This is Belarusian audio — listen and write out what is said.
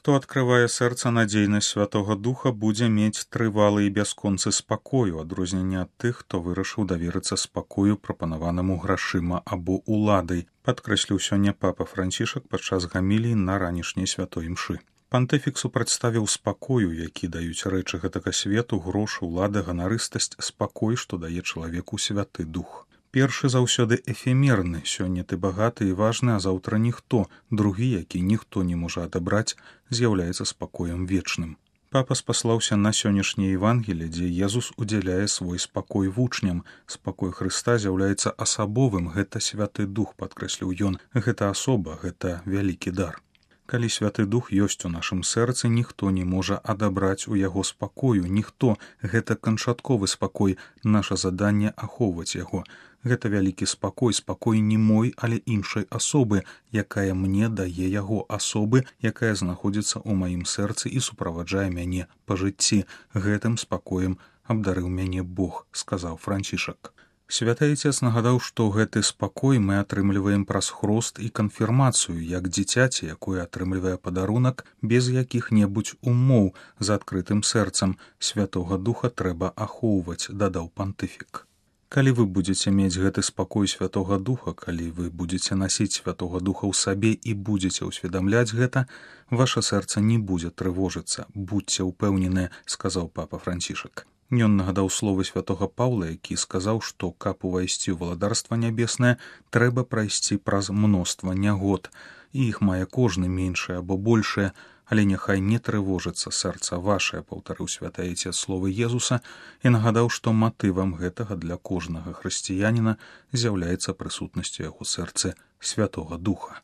Хто адкрывае сэрца надзейнасць Святога Духа, будзе мець трывалы і бясконцы спакою, адрозненне ад тых, хто вырашыў даверыцца спакою, прапанаванаму грашыма або уладай, падкрэсліў сёння папа Францішак падчас гаміліі на ранішняй святой імшы. Пантыфіксу прадставіў спакою, які даюць рэчы гэтага свету, грошы, улада, ганарыстасць, спакой, што дае чалавеку Святы Дух. Першы заўсёды эфемерны, сёння ты багаты і важны, а заўтра ніхто, другі, які ніхто не можа адабраць, з'яўляецца спакоем вечным. Папа спаслаўся на сённяшняе Евангелие, дзе Езус удзяляе свой спакой вучням. Спакой Хрыста з'яўляецца асабовым, гэта Святы Дух, падкрэсліў ён, гэта асоба, гэта вялікі дар. Калі Святы Дух ёсць у нашым сэрцы, ніхто не можа адабраць у яго спакою, ніхто, гэта канчатковы спакой, наша заданне ахоўваць яго. Гэта вялікі спакой, спакой не мой, але іншай асобы, якая мне дае яго асобы, якая знаходзіцца ў маім сэрцы і суправаджае мяне па жыцці. Гэтым спакоем абдарыў мяне Бог, сказаў Францішак. Святы Айцец нагадаў, што гэты спакой мы атрымліваем праз хрост і канфірмацыю, як дзіцяці, якое атрымлівае падарунак без якіх-небудзь умоў, з адкрытым сэрцам. Святога Духа трэба ахоўваць, дадаў пантыфік. Калі вы будзеце мець гэты спакой Святога Духа, калі вы будзеце насіць Святога Духа ў сабе і будзеце ўсведамляць гэта, ваша сэрца не будзе трывожыцца. Будзьце ўпэўненыя, сказаў папа Францішак. Ён нагадаў словы святога Паўла, які сказаў, што каб увайсці ў валадарства нябеснае, трэба прайсці праз мноства нягод, і іх мае кожны меншае або большае, але няхай не трывожыцца сэрца вашае, паўтарыў святы Айцец словы Езуса і нагадаў, што матывам гэтага для кожнага хрысціяніна з'яўляецца прысутнасць у яго сэрцы Святога Духа.